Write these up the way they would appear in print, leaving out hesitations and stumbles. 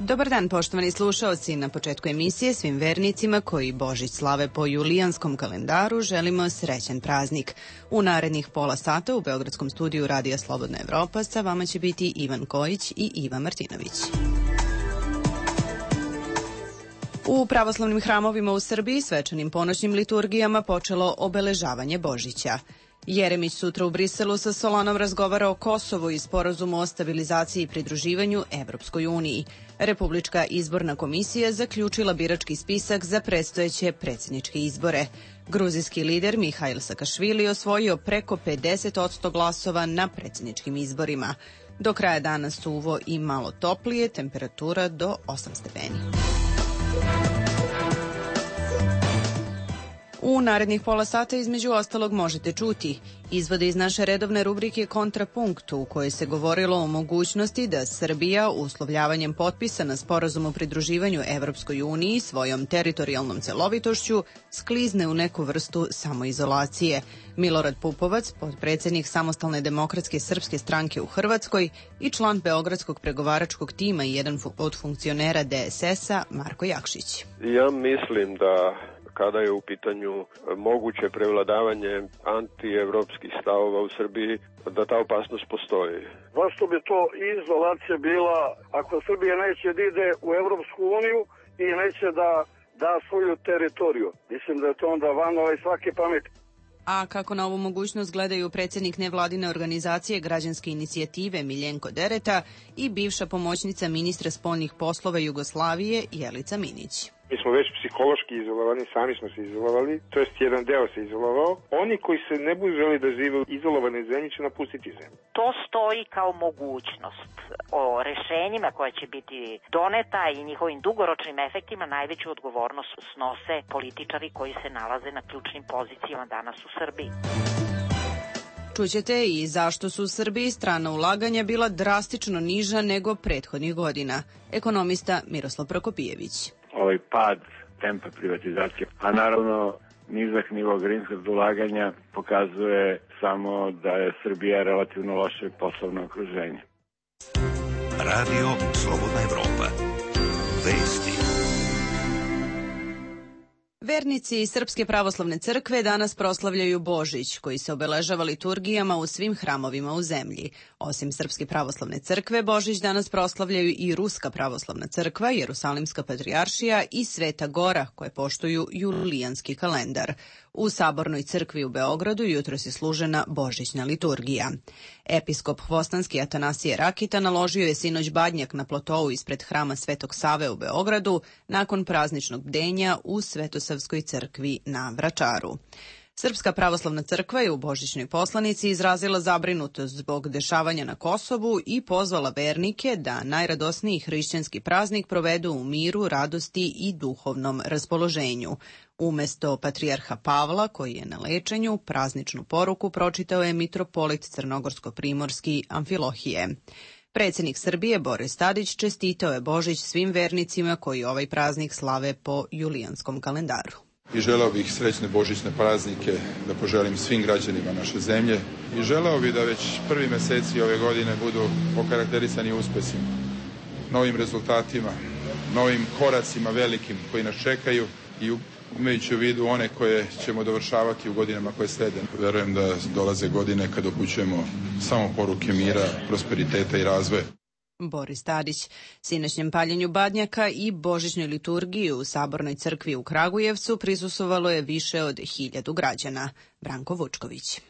Dobar dan, poštovani slušaoci. Na početku emisije svim vernicima koji Božić slave po julijanskom kalendaru želimo srećan praznik. U narednih pola sata u Beogradskom studiju Radija Slobodna Evropa sa vama će biti Ivan Kojić i Iva Martinović. U pravoslavnim hramovima u Srbiji svečanim ponoćnim liturgijama počelo obeležavanje Božića. Jeremić sutra u Briselu sa Solanom razgovara o Kosovu i sporazumu o stabilizaciji i pridruživanju Evropskoj uniji. Republička izborna komisija zaključila birački spisak za predstojeće predsjedničke izbore. Gruzijski lider Mihail Sakašvili osvojio preko 50% glasova na predsjedničkim izborima. Do kraja dana suvo i malo toplije, temperatura do 8 stepeni. U narednih pola sata između ostalog možete čuti izvode iz naše redovne rubrike Kontrapunkt u kojoj se govorilo o mogućnosti da Srbija uslovljavanjem potpisa na sporazum o pridruživanju Evropskoj uniji svojom teritorijalnom celovitošću sklizne u neku vrstu samoizolacije. Milorad Pupovac, potpredsjednik Samostalne demokratske srpske stranke u Hrvatskoj i član Beogradskog pregovaračkog tima i jedan od funkcionera DSS-a, Marko Jakšić. Ja mislim da kada je u pitanju moguće prevladavanje antievropskih stavova u Srbiji, da ta opasnost postoji. Zašto bi to izolacija bila ako Srbija neće da ide u Evropsku uniju i neće da da svoju teritoriju? Mislim da je to onda van svake pameti. A kako na ovu mogućnost gledaju predsjednik nevladine organizacije Građanske inicijative Miljenko Dereta i bivša pomoćnica ministra spoljnih poslova Jugoslavije Jelica Minić. Mi smo već psihološki izolovani, sami smo se izolovali, to jest jedan deo se izolovao. Oni koji se ne budu želi da žive u izolovanoj zemlji će napustiti zemlju. To stoji kao mogućnost. O rešenjima koja će biti doneta i njihovim dugoročnim efektima najveću odgovornost snose političari koji se nalaze na ključnim pozicijama danas u Srbiji. Čućete i zašto su u Srbiji strana ulaganja bila drastično niža nego prethodnih godina. Ekonomista Miroslav Prokopijević. Ovaj pad tempa privatizacije, a naravno nizak nivo greenfield ulaganja pokazuje samo da je Srbija relativno loše poslovno okruženje. Radio Slobodna Evropa. Vesti. Vernici Srpske pravoslavne crkve danas proslavljaju Božić, koji se obeležava liturgijama u svim hramovima u zemlji. Osim Srpske pravoslavne crkve, Božić danas proslavljaju i Ruska pravoslavna crkva, Jerusalimska patrijaršija i Sveta Gora, koje poštuju julijanski kalendar. U Sabornoj crkvi u Beogradu jutros je služena božićna liturgija. Episkop Hvostanski Atanasije Rakita naložio je sinoć badnjak na plotou ispred hrama Svetog Save u Beogradu nakon prazničnog bdenja u Svetosavskoj crkvi na Vračaru. Srpska pravoslavna crkva je u božićnoj poslanici izrazila zabrinutost zbog dešavanja na Kosovu i pozvala vernike da najradosniji hrišćanski praznik provedu u miru, radosti i duhovnom raspoloženju. Umesto patrijarha Pavla, koji je na lečenju, prazničnu poruku pročitao je mitropolit crnogorsko-primorski Amfilohije. Predsjednik Srbije Boris Tadić čestitao je Božić svim vernicima koji ovaj praznik slave po julijanskom kalendaru. I želeo bih srećne božićne praznike da poželim svim građanima naše zemlje i želeo bih da već prvi meseci ove godine budu okarakterisani uspesima, novim rezultatima, novim koracima velikim koji nas čekaju i imajući u vidu one koje ćemo dovršavati u godinama koje slede. Verujem da dolaze godine kad upućujemo samo poruke mira, prosperiteta i razvoja. Boris Tadić. Sinoćnjem paljenju badnjaka i božićnoj liturgiji u Sabornoj crkvi u Kragujevcu prisustvovalo je više od 1000 građana. Branko Vučković.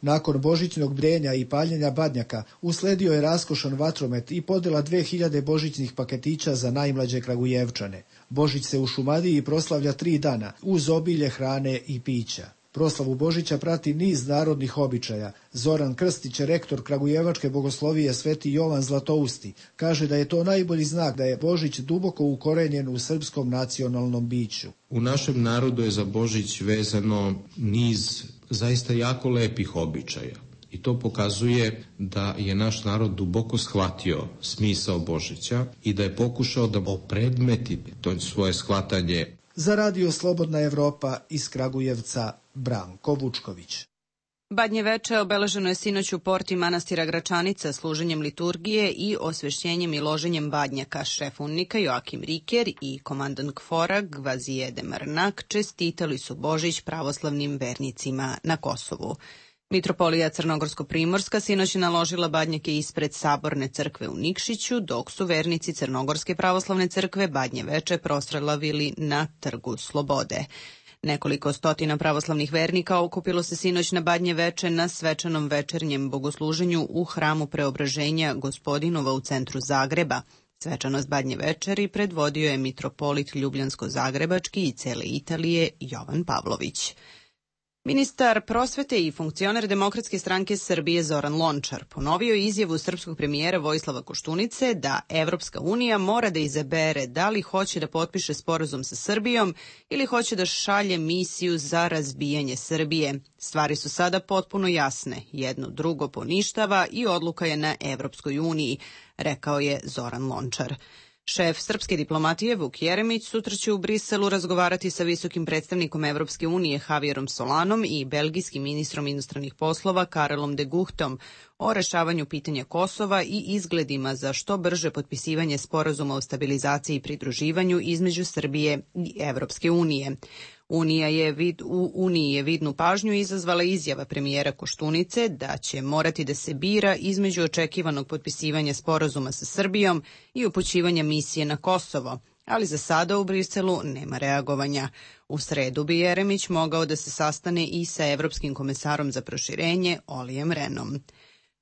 Nakon božićnog bdenja i paljenja badnjaka usledio je raskošan vatromet i podela 2000 božićnih paketića za najmlađe Kragujevčane. Božić se u Šumadiji proslavlja 3 dana uz obilje hrane i pića. Proslavu Božića prati niz narodnih običaja. Zoran Krstić, rektor Kragujevačke bogoslovije Sveti Jovan Zlatousti, kaže da je to najbolji znak da je Božić duboko ukorenjen u srpskom nacionalnom biću. U našem narodu je za Božić vezano niz zaista jako lepih običaja. I to pokazuje da je naš narod duboko shvatio smisao Božića i da je pokušao da opredmeti to svoje shvatanje. Za Radio Slobodna Evropa iz Kragujevca, Branko Vučković. Badnje veče obeleženo je sinoć u porti manastira Gračanica služenjem liturgije i osvešćenjem i loženjem badnjaka. Šef unnika Joakim Riker i komandant KFOR-a Gvazije Demarnak čestitali su Božić pravoslavnim vernicima na Kosovu. Mitropolija Crnogorsko-Primorska sinoć je naložila badnjake ispred Saborne crkve u Nikšiću, dok su vernici Crnogorske pravoslavne crkve badnje veče proslavili na Trgu Slobode. Nekoliko stotina pravoslavnih vernika okupilo se sinoć na badnje veče na svečanom večernjem bogosluženju u hramu Preobraženja Gospodinova u centru Zagreba. Svečanost badnje večeri predvodio je mitropolit Ljubljansko-Zagrebački i cele Italije Jovan Pavlović. Ministar prosvete i funkcioner Demokratske stranke Srbije Zoran Lončar ponovio izjavu srpskog premijera Vojislava Koštunice da Evropska unija mora da izabere da li hoće da potpiše sporazum sa Srbijom ili hoće da šalje misiju za razbijanje Srbije. Stvari su sada potpuno jasne, jedno drugo poništava i odluka je na Evropskoj uniji, rekao je Zoran Lončar. Šef srpske diplomatije Vuk Jeremić sutra će u Briselu razgovarati sa visokim predstavnikom Evropske unije Javierom Solanom i belgijskim ministrom inostranih poslova Karelom de Guchtom o rešavanju pitanja Kosova i izgledima za što brže potpisivanje sporazuma o stabilizaciji i pridruživanju između Srbije i Evropske unije. U Uniji je vidnu pažnju izazvala izjava premijera Koštunice da će morati da se bira između očekivanog potpisivanja sporazuma sa Srbijom i upućivanja misije na Kosovo, ali za sada u Briselu nema reagovanja. U sredu bi Jeremić mogao da se sastane i sa Evropskim komesarom za proširenje Olijem Renom.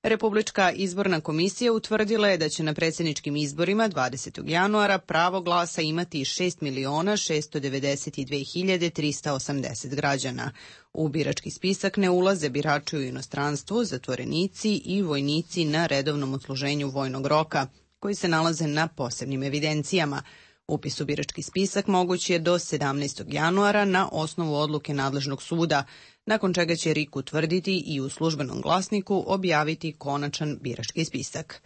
Republička izborna komisija utvrdila je da će na predsjedničkim izborima 20. januara pravo glasa imati 6.692.380 građana. U birački spisak ne ulaze birači u inostranstvu, zatvorenici i vojnici na redovnom odsluženju vojnog roka, koji se nalaze na posebnim evidencijama. Upis u birački spisak moguć je do 17. januara na osnovu odluke nadležnog suda, nakon čega će RIK utvrditi i u službenom glasniku objaviti konačan birački spisak.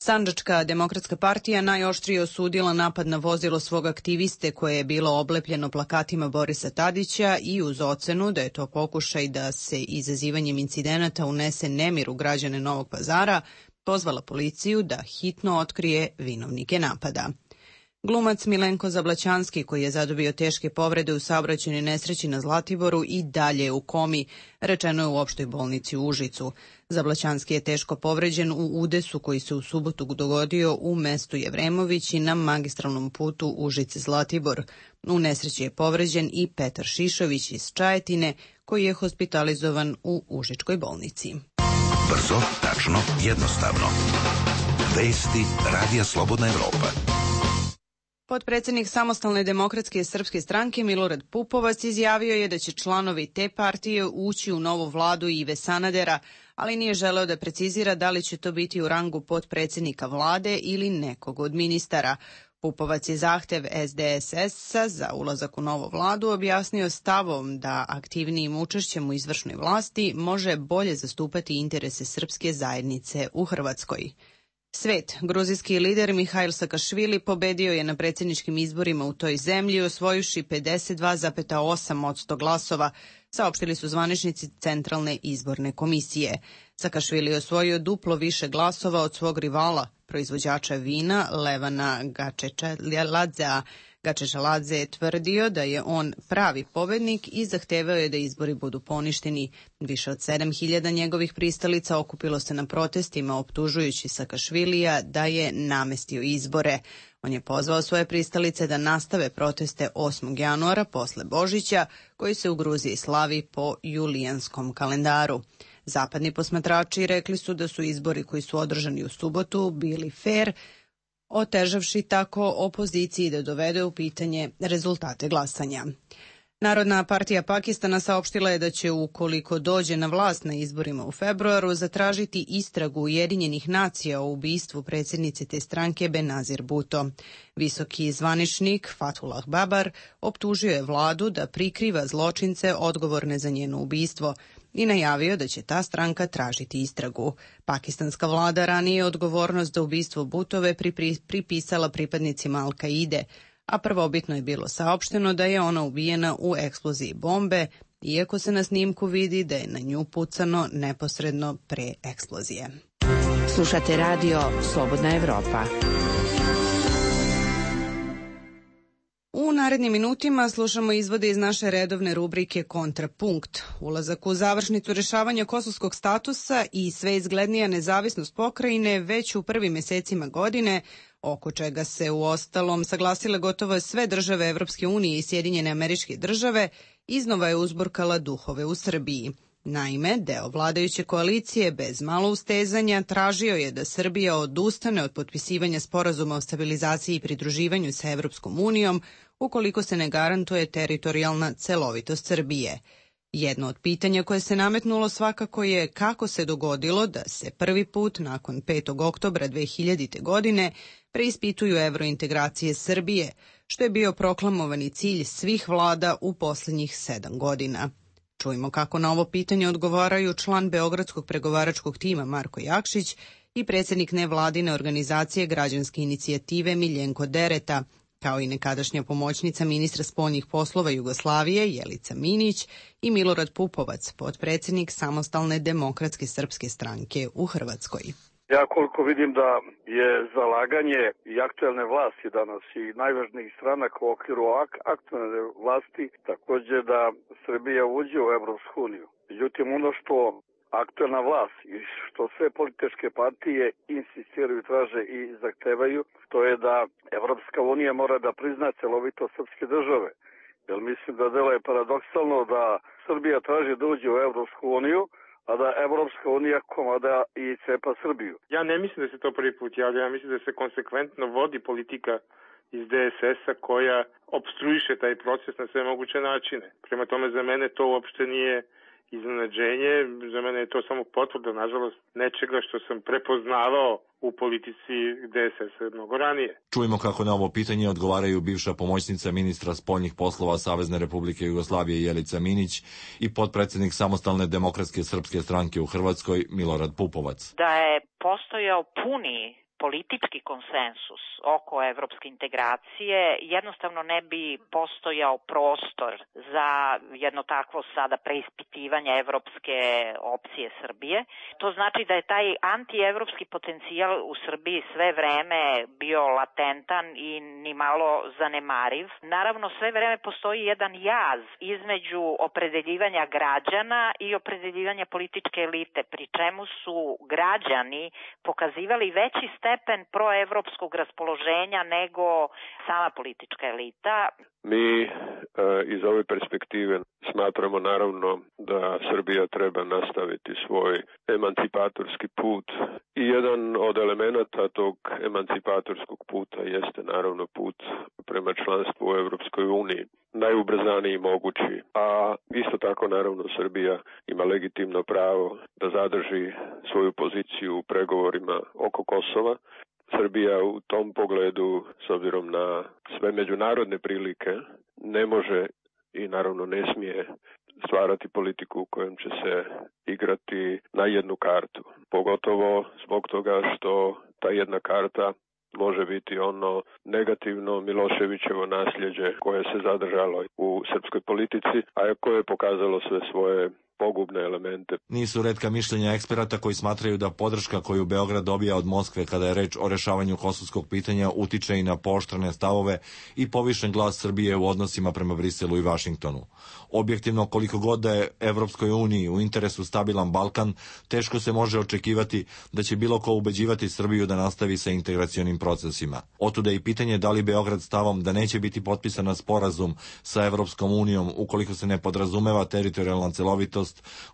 Sandžačka demokratska partija najoštrije osudila napad na vozilo svog aktiviste koje je bilo oblepljeno plakatima Borisa Tadića i uz ocenu da je to pokušaj da se izazivanjem incidenata unese nemir u građane Novog Pazara, pozvala policiju da hitno otkrije vinovnike napada. Glumac Milenko Zablaćanski, koji je zadobio teške povrede u saobraćajnoj nesreći na Zlatiboru, i dalje je u komi, rečeno je u opštoj bolnici u Užicu. Zablaćanski je teško povređen u udesu koji se u subotu dogodio u mestu Jevremović i na magistralnom putu Užice-Zlatibor. U nesreći je povređen i Petar Šišović iz Čajetine, koji je hospitalizovan u Užičkoj bolnici. Brzo, tačno, jednostavno. Vesti Radija Slobodna Evropa. Potpredsjednik Samostalne demokratske srpske stranke Milorad Pupovac izjavio je da će članovi te partije ući u novu vladu Ive Sanadera, ali nije želeo da precizira da li će to biti u rangu potpredsjednika vlade ili nekog od ministara. Pupovac je zahtev SDSS-a za ulazak u novu vladu objasnio stavom da aktivnijim učešćem u izvršnoj vlasti može bolje zastupati interese srpske zajednice u Hrvatskoj. Svet, gruzijski lider Mihail Sakašvili pobedio je na predsjedničkim izborima u toj zemlji osvojivši 52,8% glasova, saopštili su zvaničnici Centralne izborne komisije. Sakašvili je osvojio duplo više glasova od svog rivala, proizvođača vina Levana Gačečaladzea. Gačečaladze je tvrdio da je on pravi pobednik i zahtevao je da izbori budu poništeni. Više od 7.000 njegovih pristalica okupilo se na protestima optužujući Sakašvilija da je namestio izbore. On je pozvao svoje pristalice da nastave proteste 8. januara posle Božića, koji se u Gruziji slavi po julijanskom kalendaru. Zapadni posmatrači rekli su da su izbori koji su održani u subotu bili fer, otežavši tako opoziciji da dovede u pitanje rezultate glasanja. Narodna partija Pakistana saopštila je da će, ukoliko dođe na vlast na izborima u februaru, zatražiti istragu Ujedinjenih nacija o ubistvu predsjednice te stranke Benazir Bhutto. Visoki zvaničnik Fathullah Babar optužio je vladu da prikriva zločince odgovorne za njeno ubistvo i najavio da će ta stranka tražiti istragu. Pakistanska vlada ranije odgovornost za ubistvo Bhutove pripisala pripadnicima Al-Kaide, a prvobitno je bilo saopšteno da je ona ubijena u eksploziji bombe, iako se na snimku vidi da je na nju pucano neposredno pre eksplozije. Slušate radio Slobodna Evropa. U narednim minutima slušamo izvode iz naše redovne rubrike Kontrapunkt. Ulazak u završnicu rešavanja kosovskog statusa i sve izglednija nezavisnost pokrajine već u prvim mesecima godine, oko čega se u ostalom saglasile gotovo sve države Evropske unije i Sjedinjene Američke Države, iznova je uzburkala duhove u Srbiji. Naime, deo vladajuće koalicije bez malo ustezanja tražio je da Srbija odustane od potpisivanja sporazuma o stabilizaciji i pridruživanju sa Evropskom unijom ukoliko se ne garantuje teritorijalna celovitost Srbije. Jedno od pitanja koje se nametnulo svakako je kako se dogodilo da se prvi put nakon 5. oktobra 2000. godine preispituju evrointegracije Srbije, što je bio proklamovani cilj svih vlada u posljednjih 7 godina. Čujmo kako na ovo pitanje odgovaraju član Beogradskog pregovaračkog tima Marko Jakšić i predsjednik nevladine organizacije građanske inicijative Miljenko Dereta, kao i nekadašnja pomoćnica ministra spoljnih poslova Jugoslavije Jelica Minić i Milorad Pupovac, potpredsjednik Samostalne demokratske srpske stranke u Hrvatskoj. Ja koliko vidim da je zalaganje i aktuelne vlasti danas i najvažnijih stranaka u okviru aktuelne vlasti također da Srbija uđe u Evropsku uniju. Međutim, ono što aktuelna vlast i što sve političke partije insistiraju, traže i zahtevaju, to je da Evropska unija mora da prizna celovito srpske države. Jer mislim da delo je paradoksalno da Srbija traži da uđe u Evropsku uniju, a da Evropska unija komada i cepa Srbiju. Ja ne mislim da se to prvi put javlja, ja mislim da se konsekventno vodi politika iz DSS-a koja opstruiše taj proces na sve moguće načine. Prema tome, za mene to uopšte nije iznenađenje, za mene je to samo potvrda, nažalost, nečega što sam prepoznavao u politici DSS-a mnogo ranije. Čujemo kako na ovo pitanje odgovaraju bivša pomoćnica ministra spoljnih poslova Savezne Republike Jugoslavije Jelica Minić i potpredsjednik Samostalne demokratske srpske stranke u Hrvatskoj Milorad Pupovac. Da je postojao puni politički konsensus oko evropske integracije, jednostavno ne bi postojao prostor za jedno takvo sada preispitivanje evropske opcije Srbije. To znači da je taj antievropski potencijal u Srbiji sve vreme bio latentan i nimalo zanemariv. Naravno, sve vreme postoji jedan jaz između opredeljivanja građana i opredeljivanja političke elite, pri čemu su građani pokazivali veći stepen proevropskog raspoloženja nego sama politička elita. Mi iz ove perspektive smatramo naravno da Srbija treba nastaviti svoj emancipatorski put i jedan od elemenata tog emancipatorskog puta jeste naravno put prema članstvu u Evropskoj uniji, najubrzaniji mogući, a isto tako naravno Srbija ima legitimno pravo da zadrži svoju poziciju u pregovorima oko Kosova. Srbija u tom pogledu, s obzirom na sve međunarodne prilike, ne može i naravno ne smije stvarati politiku u kojem će se igrati na jednu kartu. Pogotovo zbog toga što ta jedna karta može biti ono negativno Miloševićevo nasljeđe koje se zadržalo u srpskoj politici, a koje je pokazalo sve svoje pogubne elemente. Nisu retka mišljenja eksperata koji smatraju da podrška koju Beograd dobija od Moskve kada je reč o rešavanju kosovskog pitanja utiče i na pooštrene stavove i povišen glas Srbije u odnosima prema Briselu i Vašingtonu. Objektivno, koliko god da je Evropskoj uniji u interesu stabilan Balkan, teško se može očekivati da će bilo ko ubeđivati Srbiju da nastavi sa integracionim procesima. Otuda i pitanje da li Beograd stavom da neće biti potpisan sporazum sa Evropskom unijom ukoliko se ne podrazumeva teritorijalna celovitost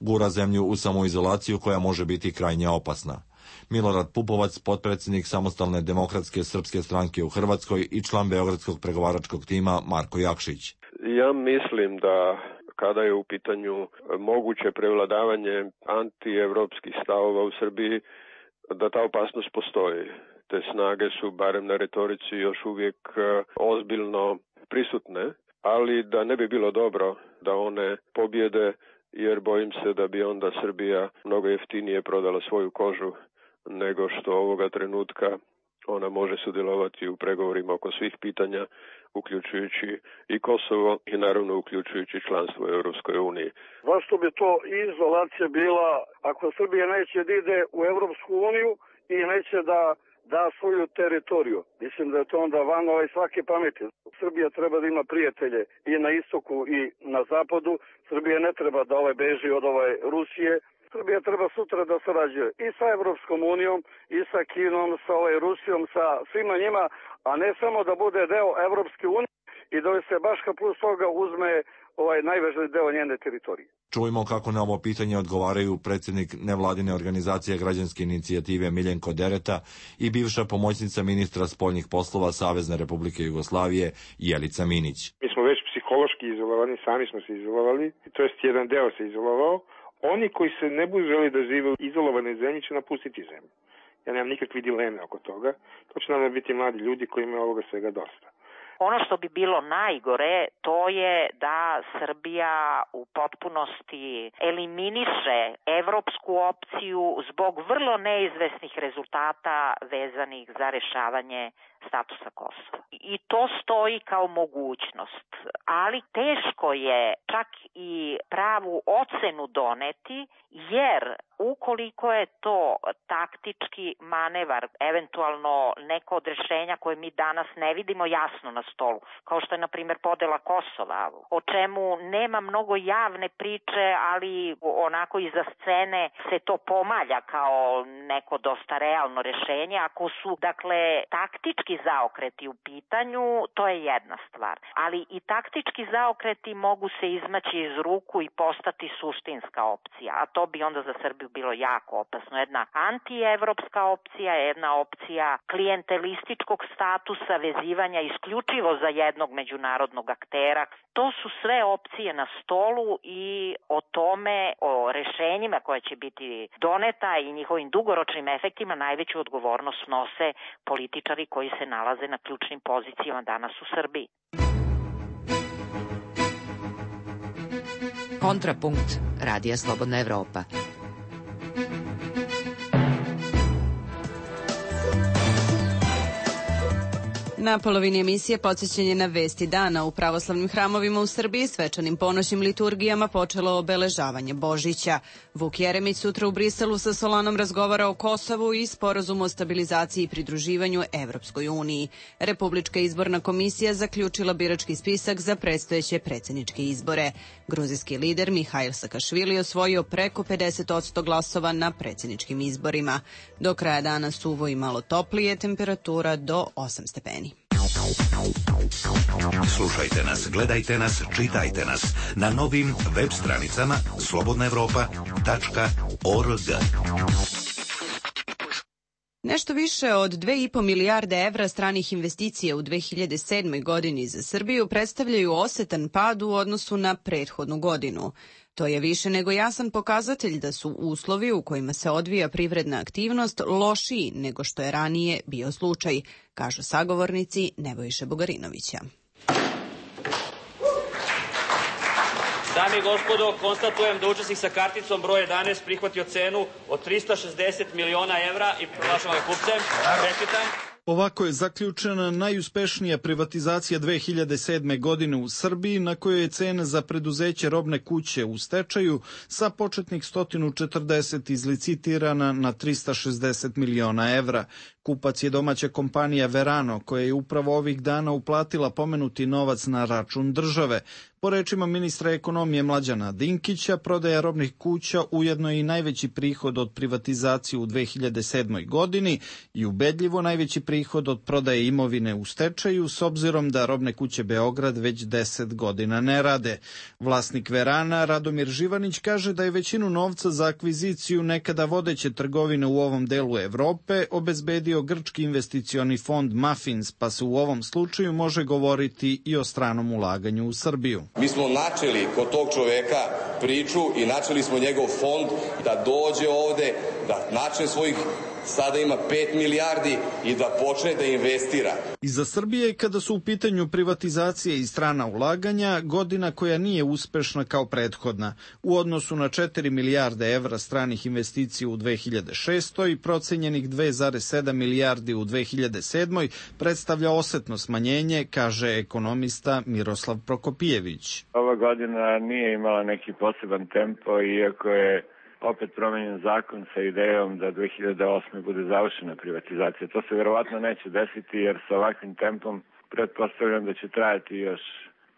gura zemlju u samoizolaciju koja može biti krajnje opasna. Milorad Pupovac, potpredsjednik Samostalne demokratske srpske stranke u Hrvatskoj i član Beogradskog pregovaračkog tima Marko Jakšić. Ja mislim da kada je u pitanju moguće prevladavanje antievropskih stavova u Srbiji, da ta opasnost postoji. Te snage su, barem na retorici, još uvijek ozbiljno prisutne, ali da ne bi bilo dobro da one pobjede, jer bojim se da bi onda Srbija mnogo jeftinije prodala svoju kožu nego što ovoga trenutka ona može sudjelovati u pregovorima oko svih pitanja, uključujući i Kosovo i naravno uključujući članstvo u Europskoj uniji. Zašto bi to izolacija bila ako Srbija neće da ide u Europsku uniju i neće da svoju teritoriju? Mislim da je to onda van svake pameti. Srbija treba da ima prijatelje i na istoku i na zapadu. Srbija ne treba da beži od Rusije. Srbija treba sutra da sarađuje i sa Evropskom unijom, i sa Kinom, sa Rusijom, sa svima njima, a ne samo da bude deo Evropske unije i da se baš plus toga uzme najvažniji deo njene teritorije. Čujmo kako na ovo pitanje odgovaraju predsjednik nevladine organizacije građanske inicijative Miljenko Dereta i bivša pomoćnica ministra spoljnih poslova Savezne Republike Jugoslavije Jelica Minić. Mi smo već psihološki izolovani, sami smo se izolovali, to jest jedan deo se izolovao. Oni koji se ne budu želi da žive u izolovanoj zemlji će napustiti zemlju. Ja nemam nikakve dileme oko toga. To će nam biti mladi ljudi koji imaju ovoga svega dosta. Ono što bi bilo najgore, to je da Srbija u potpunosti eliminiše evropsku opciju zbog vrlo neizvesnih rezultata vezanih za rešavanje statusa Kosova. I to stoji kao mogućnost, ali teško je čak i pravu ocenu doneti, jer ukoliko je to taktički manevar, eventualno neko od rešenja koje mi danas ne vidimo jasno na stolu, kao što je, na primjer, podela Kosova, o čemu nema mnogo javne priče, ali onako iza scene se to pomalja kao neko dosta realno rešenje. Ako su, dakle, taktički zaokreti u pitanju, to je jedna stvar. Ali i taktički zaokreti mogu se izmaći iz ruku i postati suštinska opcija, a to bi onda za Srbiju bilo jako opasno. Jedna antievropska opcija, jedna opcija klijentelističkog statusa, vezivanja isključivo za jednog međunarodnog aktera. To su sve opcije na stolu i o tome, o rešenjima koje će biti doneta i njihovim dugoročnim efektima najveću odgovornost snose političari koji se nalaze na ključnim pozicijama danas u Srbiji. Kontrapunkt Radija Slobodna Evropa. Na polovini emisije podsjećanje na vesti dana. U pravoslavnim hramovima u Srbiji svečanim ponoćnim liturgijama počelo obeležavanje Božića. Vuk Jeremić sutra u Briselu sa Solanom razgovara o Kosovu i sporazumu o stabilizaciji i pridruživanju Evropskoj uniji. Republička izborna komisija zaključila birački spisak za predstojeće predsjedničke izbore. Gruzijski lider Mihail Sakašvili osvojio preko 50% glasova na predsjedničkim izborima. Do kraja dana suvo i malo toplije, temperatura do 8 stepeni. Slušajte nas, gledajte nas, čitajte nas na novim web stranicama slobodnaevropa.org. Nešto više od 2,5 milijarde evra stranih investicija u 2007. godini za Srbiju predstavljaju osetan pad u odnosu na prethodnu godinu. To je više nego jasan pokazatelj da su uslovi u kojima se odvija privredna aktivnost lošiji nego što je ranije bio slučaj, kažu sagovornici Nebojše Bugarinovića. Dame i gospodo, konstatujem da učesnik sa karticom broj 11 prihvatio cenu od 360 miliona evra i proglašavam ga kupcem. Čestitam. Ovako je zaključena najuspešnija privatizacija 2007. godine u Srbiji, na kojoj je cena za preduzeće Robne kuće u stečaju sa početnih 140 izlicitirana na 360 miliona evra. Kupac je domaća kompanija Verano, koja je upravo ovih dana uplatila pomenuti novac na račun države. Po rečima ministra ekonomije Mlađana Dinkića, prodaja robnih kuća ujedno je i najveći prihod od privatizacije u 2007. godini i ubedljivo najveći prihod od prodaje imovine u stečaju, s obzirom da Robne kuće Beograd već 10 godina ne rade. Vlasnik Verana, Radomir Živanić, kaže da je većinu novca za akviziciju nekada vodeće trgovine u ovom delu Evrope obezbedio grčki investicioni fond Mafins, pa se u ovom slučaju može govoriti i o stranom ulaganju u Srbiju. Mi smo načeli kod tog čoveka priču i načeli smo njegov fond da dođe ovde, da načne svojih sada ima 5 milijardi i da počne da investira. I za Srbije, kada su u pitanju privatizacije i strana ulaganja, godina koja nije uspešna kao prethodna. U odnosu na 4 milijarde evra stranih investicija u 2006. i procenjenih 2,7 milijardi u 2007. predstavlja osetno smanjenje, kaže ekonomista Miroslav Prokopijević. Ova godina nije imala neki poseban tempo, iako je opet promenjen zakon sa idejom da 2008. bude završena privatizacija. To se verovatno neće desiti, jer sa ovakvim tempom pretpostavljam da će trajati još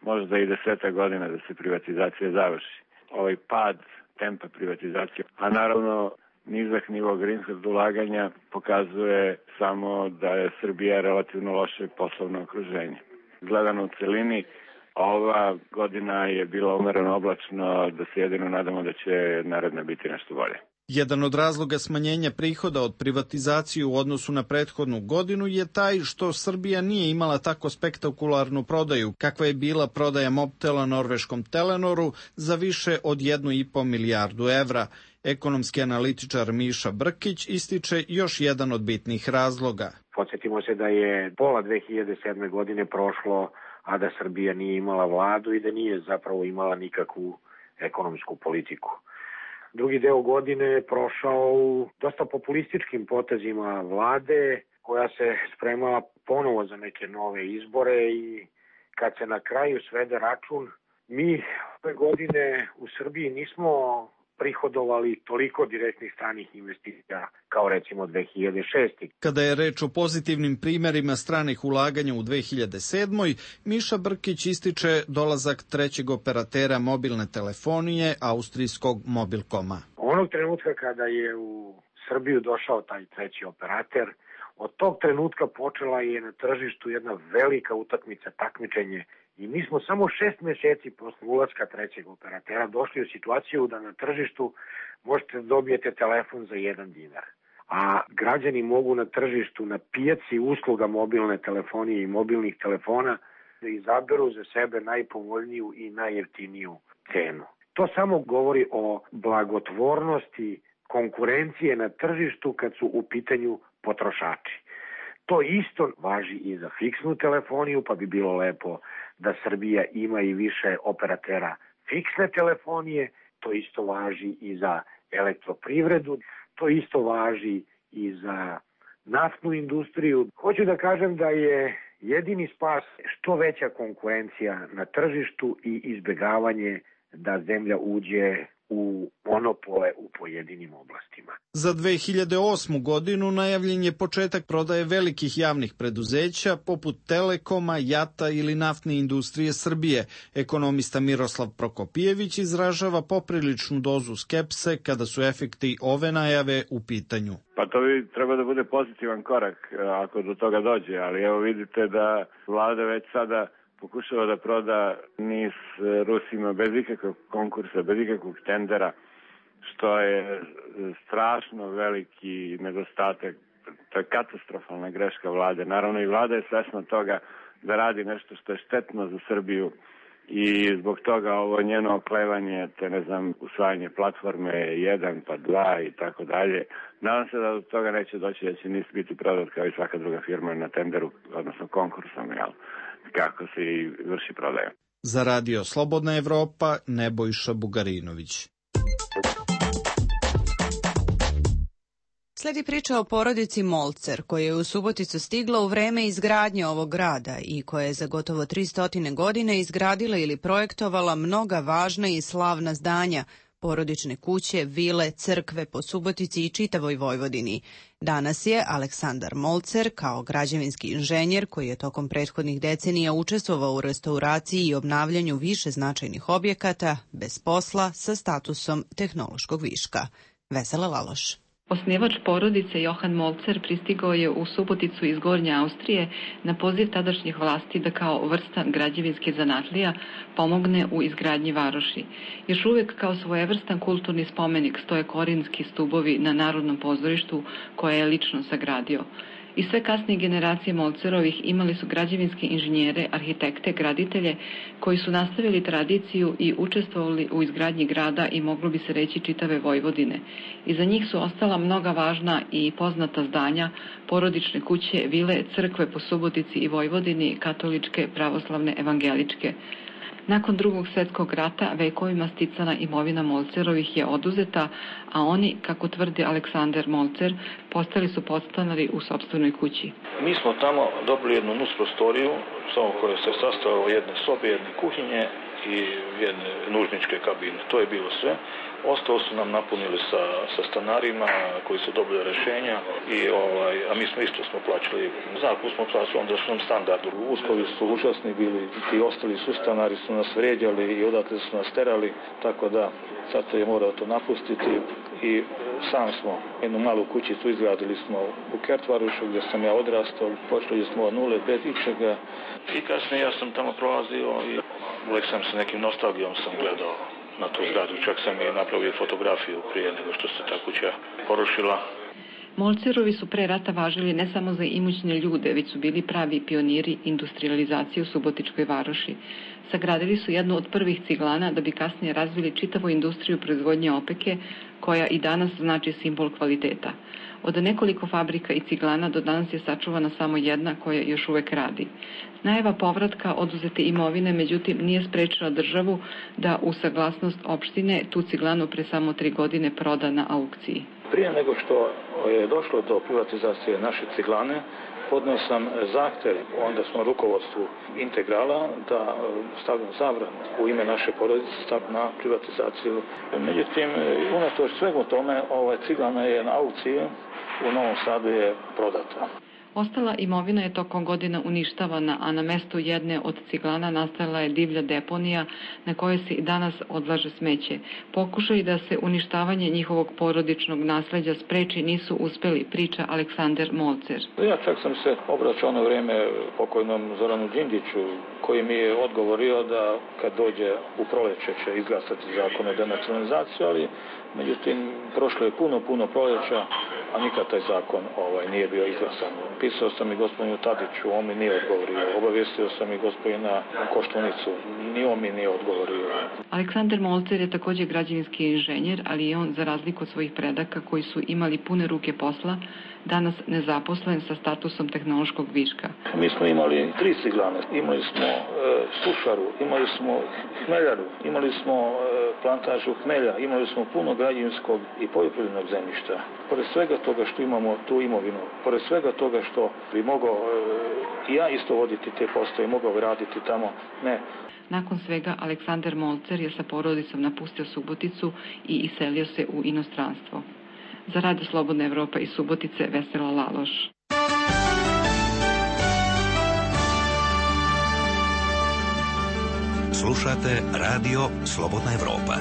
možda i 10 godina da se privatizacija završi. Ovaj pad tempa privatizacije, a naravno nizak nivo greenfield ulaganja pokazuje samo da je Srbija relativno loše poslovno okruženje. Gledano u celini, ova godina je bila umereno oblačno, da se jedino nadamo da će naredna biti nešto bolje. Jedan od razloga smanjenja prihoda od privatizacije u odnosu na prethodnu godinu je taj što Srbija nije imala tako spektakularnu prodaju, kakva je bila prodaja Mobtela norveškom Telenoru za više od 1,5 milijardu evra. Ekonomski analitičar Miša Brkić ističe još jedan od bitnih razloga. Podsjetimo se da je pola 2007. godine prošlo, a da Srbija nije imala vladu i da nije zapravo imala nikakvu ekonomsku politiku. Drugi deo godine je prošao u dosta populističkim potezima vlade, koja se spremala ponovo za neke nove izbore i kad se na kraju svede račun, mi ove godine u Srbiji nismo prihodovali toliko direktnih stranih investicija kao recimo 2006. Kada je reč o pozitivnim primerima stranih ulaganja u 2007. Miša Brkić ističe dolazak trećeg operatera mobilne telefonije, austrijskog Mobilkoma. Onog trenutka kada je u Srbiju došao taj treći operater, od tog trenutka počela je na tržištu jedna velika utakmica, takmičenje. I mi smo samo 6 meseci posle ulaska trećeg operatera došli u situaciju da na tržištu možete da dobijete telefon za 1 dinar. A građani mogu na tržištu, na pijaci usluga mobilne telefonije i mobilnih telefona da izaberu za sebe najpovoljniju i najjeftiniju cenu. To samo govori o blagotvornosti konkurencije na tržištu kad su u pitanju potrošači. To isto važi i za fiksnu telefoniju, pa bi bilo lepo da Srbija ima i više operatera fiksne telefonije, to isto važi i za elektroprivredu, to isto važi i za naftnu industriju. Hoću da kažem da je jedini spas što veća konkurencija na tržištu i izbegavanje da zemlja uđe u monopole u pojedinim oblastima. Za 2008. godinu najavljen je početak prodaje velikih javnih preduzeća poput Telekoma, JAT-a ili Naftne industrije Srbije. Ekonomista Miroslav Prokopijević izražava popriličnu dozu skepse kada su efekti ove najave u pitanju. Pa to bi treba da bude pozitivan korak ako do toga dođe, ali evo vidite da vlada već sada pokušava da proda NIS Rusima bez ikakvog konkursa, bez ikakvog tendera, što je strašno veliki nedostatak. To je katastrofalna greška vlade. Naravno i vlada je svesna toga da radi nešto što je štetno za Srbiju i zbog toga ovo njeno oklevanje, te usvajanje platforme 1 pa 2 i tako dalje. Nadam se da do toga neće doći, da će NIS biti prodat kao i svaka druga firma na tenderu, odnosno konkursom, kako se i vrši prodaja. Za radio Slobodna Evropa, Nebojša Bugarinović. Sledi priča o porodici Molcer, koja je u Suboticu stigla u vreme izgradnje ovog grada i koja je za gotovo 300 godine izgradila ili projektovala mnoga važna i slavna zdanja, porodične kuće, vile, crkve po Subotici i čitavoj Vojvodini. Danas je Aleksandar Molcer, kao građevinski inženjer koji je tokom prethodnih decenija učestvovao u restauraciji i obnavljanju više značajnih objekata, bez posla sa statusom tehnološkog viška. Vesela Laloš. Osnivač porodice Johan Molcer pristigao je u Suboticu iz Gornje Austrije na poziv tadašnjih vlasti da kao vrstan građevinski zanatlija pomogne u izgradnji varoši. Još uvek kao svojevrstan kulturni spomenik stoje korinski stubovi na Narodnom pozorištu koje je lično sagradio. I sve kasnije generacije Molcerovih imali su građevinske inženjere, arhitekte, graditelje koji su nastavili tradiciju i učestvovali u izgradnji grada i moglo bi se reći čitave Vojvodine. Iza njih su ostala mnoga važna i poznata zdanja, porodične kuće, vile, crkve po Subotici i Vojvodini, katoličke, pravoslavne, evangeličke. Nakon Drugog svjetskog rata vekovima sticana imovina Molcerovih je oduzeta, a oni, kako tvrdi Aleksandar Molcer, postali su podstanari u sopstvenoj kući. Mi smo tamo dobili jednu nus prostoriju, samo koja se sastojala od jedne sobe, jedne kuhinje i jedne nužničke kabine. To je bilo sve. Ostalo su nam napunili sa stanarima koji su dobili rešenja a mi smo plaćali zakup, smo plaćali ondašnjem standardu. Uslovi su užasni bili, ti ostali sustanari su nas vređali i odatle su nas terali, tako da sad je morao to napustiti i sam smo jednu malu kućicu izgradili smo u Kertvarušu gdje sam ja odrastao, počeli smo od nule bez ičega i kasnije ja sam tamo prolazio i uvijek sam se nekim nostalgijom sam gledao na tu zgradu, čak sam i napravio fotografiju prije nego što se ta kuća porušila. Molcerovi su pre rata važili ne samo za imućne ljude, već su bili pravi pioniri industrializacije u Subotičkoj varoši. Sagradili su jednu od prvih ciglana da bi kasnije razvili čitavu industriju proizvodnje opeke, koja i danas znači simbol kvaliteta. Od nekoliko fabrika i ciglana do danas je sačuvana samo jedna koja još uvek radi. Najava povratka oduzete imovine, međutim, nije sprečila državu da u saglasnost opštine tu ciglanu pre samo 3 godine proda na aukciji. Prije nego što je došlo do privatizacije naše ciglane, podneo sam zahtev, onda smo rukovodstvu Integrala da stavljam zabranu u ime naše porodice na privatizaciju. Međutim, unatoč svemu tome, ciglana je na aukciji u Novom Sadu je prodata. Ostala imovina je tokom godina uništavana, a na mestu jedne od ciglana nastala je divlja deponija na kojoj se i danas odlaže smeće. Pokušaj da se uništavanje njihovog porodičnog nasleđa spreči nisu uspeli, priča Aleksandar Molcer. Ja čak sam se obraćao na vrijeme pokojnom Zoranu Đinđiću, koji mi je odgovorio da kad dođe u proleće će izglasati zakon o denacionalizaciji, ali međutim prošlo je puno proljeća, a nikad taj zakon nije bio izglasan. Pisao sam i gospodinu Tadiću, on mi nije odgovorio. Obavijestio sam i gospodina Koštunicu, ni on mi nije odgovorio. Aleksandar Molcer je također građevinski inženjer, ali je on, za razliku od svojih predaka koji su imali pune ruke posla, danas nezaposlen sa statusom tehnološkog viška. Mi smo imali 3 ciglane. Imali smo sušaru, imali smo hmeljaru, imali smo plantažu hmelja, imali smo puno građevinskog i poljoprivrednog zemljišta. Pored svega toga što imamo tu imovinu, pored svega toga što bi mogao i ja isto voditi te postoje, mogao raditi tamo, ne. Nakon svega, Aleksandar Molcer je sa porodicom napustio Suboticu i iselio se u inostranstvo. Za Radio Slobodna Evropa iz Subotice, Vesela Laloš. Slušate Radio Slobodna Evropa.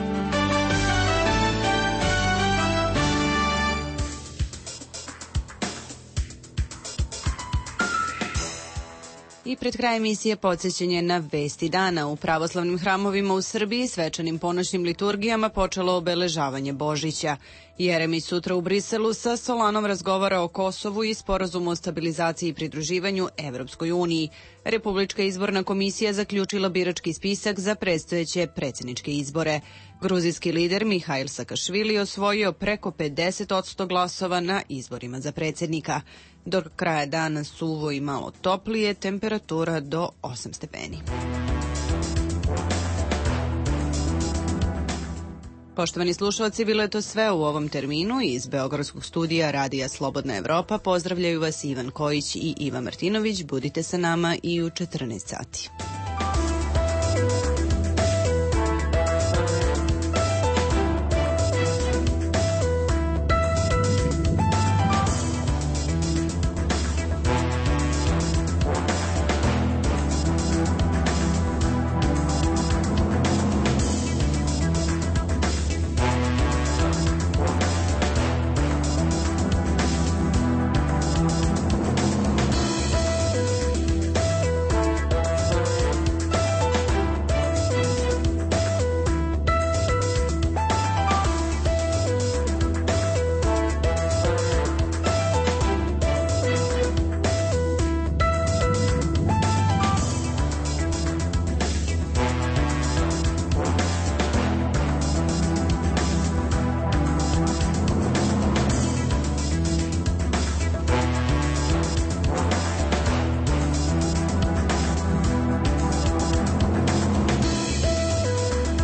I pred kraj emisije podsjećanje na vesti dana. U pravoslavnim hramovima u Srbiji svečanim ponoćnim liturgijama počelo obeležavanje Božića. Jeremić sutra u Briselu sa Solanom razgovara o Kosovu i sporazumu o stabilizaciji i pridruživanju Evropskoj uniji. Republička izborna komisija zaključila birački spisak za predstojeće predsjedničke izbore. Gruzijski lider Mihail Sakašvili osvojio preko 50% glasova na izborima za predsjednika. Do kraja dana suvo i malo toplije, temperatura do 8 stepeni. Poštovani slušalci, bilo je to sve u ovom terminu. Iz Beogradskog studija Radija Slobodna Evropa pozdravljaju vas Ivan Kojić i Iva Martinović. Budite sa nama i u 14 sati.